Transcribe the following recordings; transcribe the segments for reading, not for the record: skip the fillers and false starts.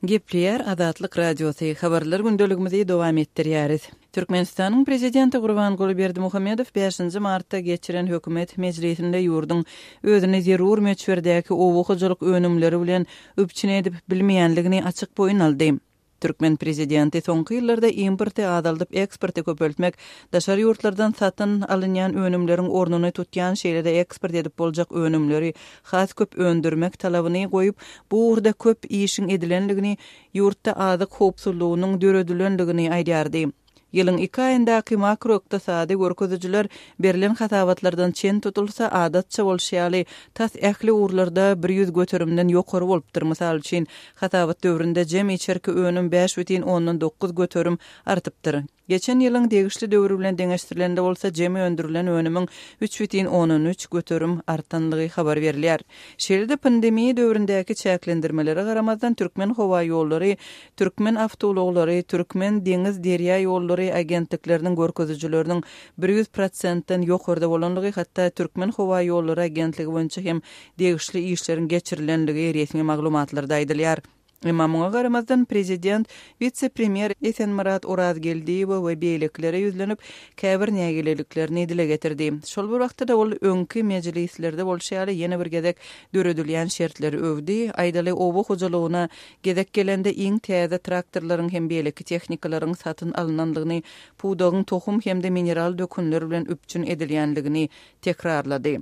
Gepleýär Azatlyk Radiosy, Habarlar gündeligimizi dowam etdirýäris. Türkmenistanyň Prezidenti Gurbanguly Berdimuhamedow bäşinji martda geçiren hökümet mejlisinde ýurduň özüni zerur möçberdäki oba hojalyk önümleri bilen üpjün edip bilmeýänligini açyk boýun aldy. Türkmen prezidenti soňky ýyllarda importy azaldyp, eksporty köpeltmek, daşary ýurtlardan satyn alynýan önümleriň ornuny tutýan, şeýle-de eksport edip boljak önümleri has köp öndürmek talabyny goýup, bu ugurda köp işiň edilendigini, ýurtda azyk howpsuzlygynyň döredilendigini aýdýardy. Ýylyň iki aýyndaky makroykdysady görkezijiler berlen hasabatlardan çen tutulsa, adatça bolşy ýaly, tas ähli ugurlarda 100 göterimden ýokary bolupdyr. Mysal üçin, hasabat döwründe jemi içerki önüm 5,9 göterim artypdyr. Geçen ýylyň degişli döwri bilen deňeşdirilende bolsa, jemi öndürilen önümiň 3,3 göterim artandygy habar berilýär. Şeýle-de pandemiýa döwründäki çäklendirmelere garamazdan, Türkmenhowaýollary, Türkmenawtoulaglary, Türkmen deňiz derýa ýollary agentlikleriniň görkezijileriniň 100 prosentden ýokarda bolandygy, hatda Türkmenhowaýollary agentligi boýunça hem degişli işleriň geçirilenligi resmi maglumatlarda aýdylýar. Emma muňa garamazdan, prezident wise-premýer Esenmyrat Orazgeldiýewe we beýlekilere ýüzlenip, käbir nägileliklerini dile getirdi. Şol bir wagtda-da ol öňki mejlislerde bolşy ýaly ýene bir gezek döredilýän şertleri öwdi, aýdaly, oba hojalygyna gezek gelende iň täze traktorlaryň hem beýleki tehnikalaryň satyn alnandygyny, pudagyň tohum hem-de mineral dökünler bilen üpjün edilýändigini tekrarlady.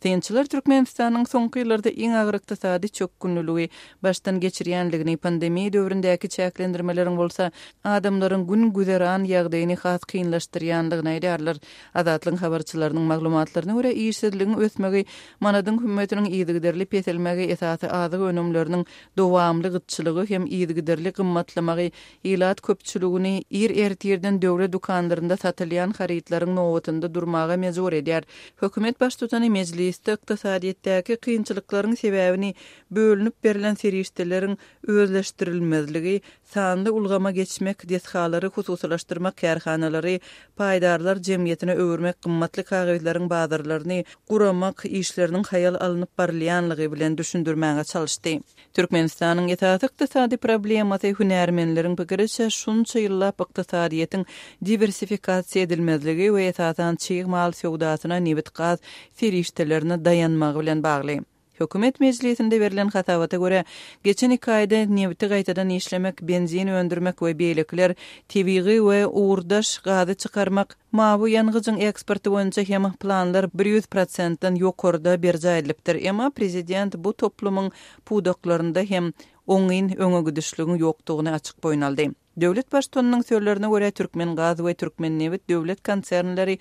Synçylar Türkmenistanyň soňky ýyllarda iň agyr ykdysady çökgünliligi başdan geçirýändigini, pandemiýa döwründäki çäklendirmeleriň bolsa adamlaryň gün-güzeran ýagdaýyny has kynlaşdyrýandygyny aýdýarlar. Azatlygyň habarçylarynyň maglumatlaryna görä, işsizligiň ösmegi, manadyň hümmetiniň yzygiderli peselmegi, esasy azyk önümleriniň dowamly gytçylygy hem yzygiderli gymmatlamagy ilat köpçüligini ir ertirden döwlet dükanlarynda satylýan harytlaryň nobatynda durmaga mejbur edýär. Hökümet baştutany mejlisde ykdysadyýetdäki kynçylyklaryň sebäbini bölünip berlen serişdeleriň özleşdirilmezligi, sanly ulgama geçmek, desgalary hususylaşdyrmak, kärhanalary paýdarlar jemgyýetine öwürmek, gymmatly kagyzlaryň bazarlaryny guramak işleriniň haýal alnyp barylýanlygy bilen düşündirmäge çalyşdy. Türkmenistanyň esasy ykdysady problemasy, hünärmenleriň pikiriçe, şunça ýyllap ykdysadyýetiň diwersifikasiýa edilmezligi we esasan çig mal söwdasyna, nebit-gaz serişdelerine daýanmagy bilen bagly. Hökümet mejlisinde berlen hasabata görä, geçen iki aýda nebiti gaýtadan işlemek, benzin öndürmek we beýlekiler, tebigy we ugurdaş gazy çykarmak, mawy ýangyjyň eksporty boýunça hem planlar 100 prosentden ýokarda berjaý edilipdir. Emma prezident bu toplumyň pudaklarynda hem oňyn öňegidişligiň ýokdugyny açyk boýun aldy. Döwlet Baştutanynyň sözlerine görä, Türkmengaz we Türkmennebit döwlet konsernleri,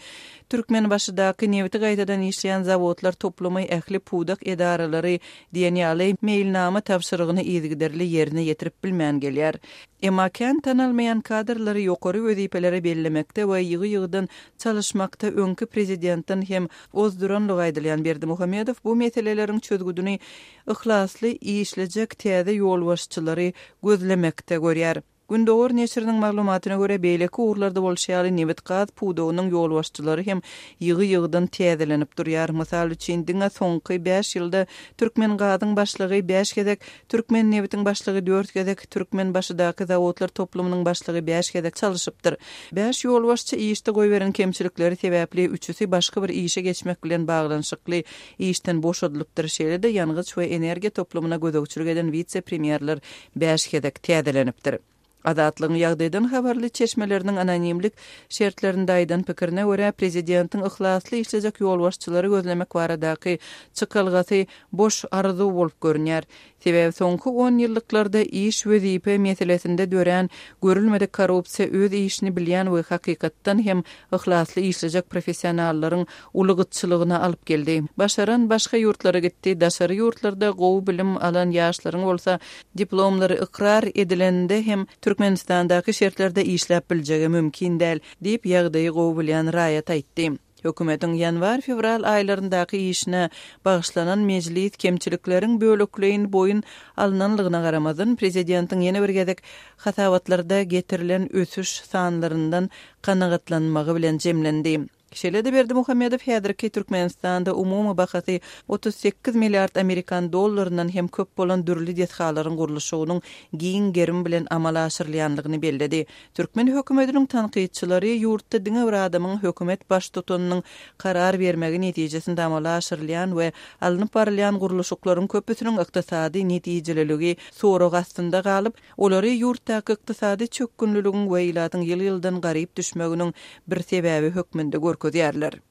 Türkmenbaşydaky nebiti gaýtadan işleýän zawodlar toplumy, ähli pudak edaralary diýen ýaly meýilnama tabşyrygyny yzygiderli ýerine ýetirip bilmän gelýär. Emma kän tanalmaýan kadrlary ýokary wezipelere bellemekde we ýygy-ýygydan çalyşmakda öňki prezidentden hem ozduranlygy aýdylýan Berdimuhamedow bu meseleleriň çözgüdini yhlasly işlejek täze ýolbaşçylary gözlemekde görýär. Gündogar neşiriniň maglumatyna görä, beýleki ugurlarda bolşy ýaly, nebit-gaz pudagynyň ýolbaşçylary hem ýygy-ýygydan täzelenip durýar. Mysal üçin, diňe soňky bäş ýylda Türkmengazyň başlygy bäş gezek, Türkmennebitiň başlygy dört gezek, Türkmenbaşydaky zawodlar toplumynyň başlygy bäş gezek çalyşypdyr. Bäş ýolbaşçy işde goýberen kemçilikleri sebäpli üçüsi başga bir işe geçmek bilen baglanyşykly işden boşadylypdyr, şeýle-de ýangyç we energiýa toplumyna gözegçilik eden wise-premýerler bäş gezek täzelenipdir. Azatlygyň ýagdaýdan habarly çeşmeleriniň anonimlik şertlerinde aýdan pikirine görä, prezidentiň yhlasly işlejek ýolbaşçylary gözlemek baradaky çykalgasy boş arzuw bolup görünýär. Sebäbi soňky onýyllyklarda iş-wezipe meselesinde dörän görülmedik korrupsiýa öz işini bilýän we hakykatdan hem yhlasly işlejek professionallaryň uly gytçylygyna alyp geldi. Başaran başga ýurtlara gitdi, daşary ýurtlarda gowy bilim alan ýaşlaryň bolsa diplomlary ykrar edilende hem Türkmenistandaky şertlerde işläp biljegi mümkin däl, diýip, ýagdaýy gowy bilýän raýat aýtdy. Hökümetiň ýanwar-fewral aýlaryndaky işine bagyşlanan mejlis kemçilikleriň bölekleýin boýun alnanlygyna garamazdan, prezidentiň ýene bir gezek hasabatlarda getirilen ösüş sanlaryndan kanagatlanmagy bilen jemlendi. Şeýle-de Berdimuhamedow häzirki Türkmenistanda umumy bahasy 38 milliard amerikan dollaryndan hem köp bolan dürli desgalaryň gurluşygynyň giň gerim bilen amala aşyrylýandygyny belledi. Türkmen hökümetiniň tankytçylary ýurtda diňe bir adamyň hökümet baştutanynyň karar bermegi netijesinde amala aşyrylýan we alnyp barylýan gurluşyklaryň köpüsiniň ykdysady netijeliligi sorag astynda galyp, Olary ýurtdaky ykdysady çökgünliligiň we ilatyň ýyl-ýyldan garyp düşmeginiň bir sebäbi hökmünde görkezýärler.